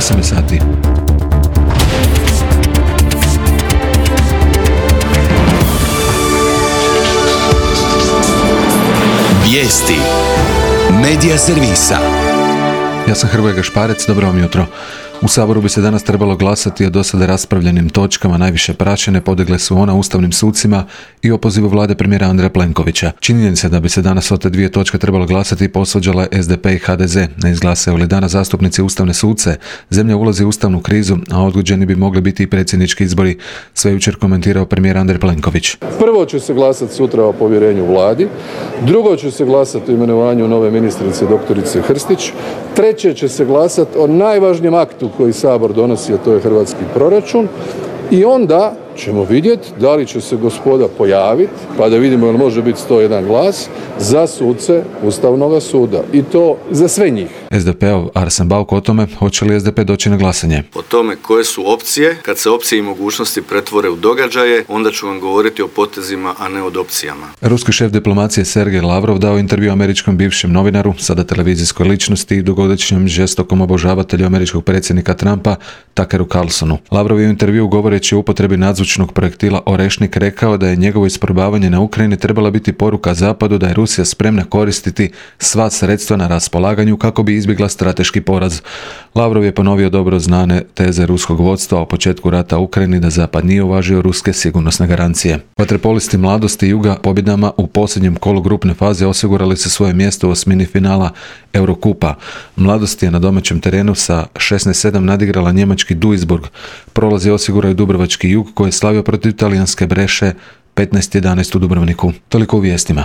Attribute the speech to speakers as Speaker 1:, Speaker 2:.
Speaker 1: 8 sati.
Speaker 2: Vijesti Medija servisa.
Speaker 1: Ja sam Hrvoje Gašparec, dobro vam jutro. U Saboru bi se danas trebalo glasati o dosada raspravljenim točkama. Najviše praćene podigle su ona ustavnim sucima i opozivu vlade premijera Andreja Plenkovića. Činjenica da bi se danas o te dvije točke trebalo glasati posvađala SDP i HDZ. Ne izglasaju li danas zastupnici ustavne suce, zemlja ulazi u ustavnu krizu, a odgođeni bi mogli biti i predsjednički izbori. Sve jučer komentirao premijer Andrej Plenković.
Speaker 3: Prvo će se glasati sutra o povjerenju vladi, drugo će se glasati o imenovanju nove ministrice doktorice Hrstić, treće će se glasati o najvažnijem aktu koji Sabor donosi, a to je hrvatski proračun, i onda ćemo vidjeti da li će se gospoda pojaviti, pa da vidimo jel može biti 101 glas za suce Ustavnog suda. I to za sve njih.
Speaker 1: SDP-ov Arsen Bauk o tome hoće li SDP doći na glasanje.
Speaker 4: O tome koje su opcije, kad se opcije i mogućnosti pretvore u događaje, onda ću vam govoriti o potezima, a ne o opcijama.
Speaker 1: Ruski šef diplomacije Sergej Lavrov dao intervju američkom bivšem novinaru, sada televizijskoj ličnosti i dugogodišnjem žestokom obožavatelju američkog predsjednika Trumpa, Tuckeru Carlsonu. Lavrov je u intervju govoreći o upotrebi nadzvučnog projektila Orešnik rekao da je njegovo isprobavanje na Ukrajini trebala biti poruka Zapadu da je Rusija spremna koristiti sva sredstva na raspolaganju kako bi izbjegla strateški poraz. Lavrov je ponovio dobro znane teze ruskog vodstva o početku rata u Ukrajini da Zapad nije uvažio ruske sigurnosne garancije. Vaterpolisti Mladosti Juga pobjedama u posljednjem kolu grupne faze osigurali su svoje mjesto u osmini finala Eurokupa. Mladost je na domaćem terenu sa 16:7 nadigrala njemački Duisburg. Prolaz je osigurao dubrovački Jug koji je slavio protiv talijanske Breše 15:11 u Dubrovniku. Toliko u vijestima.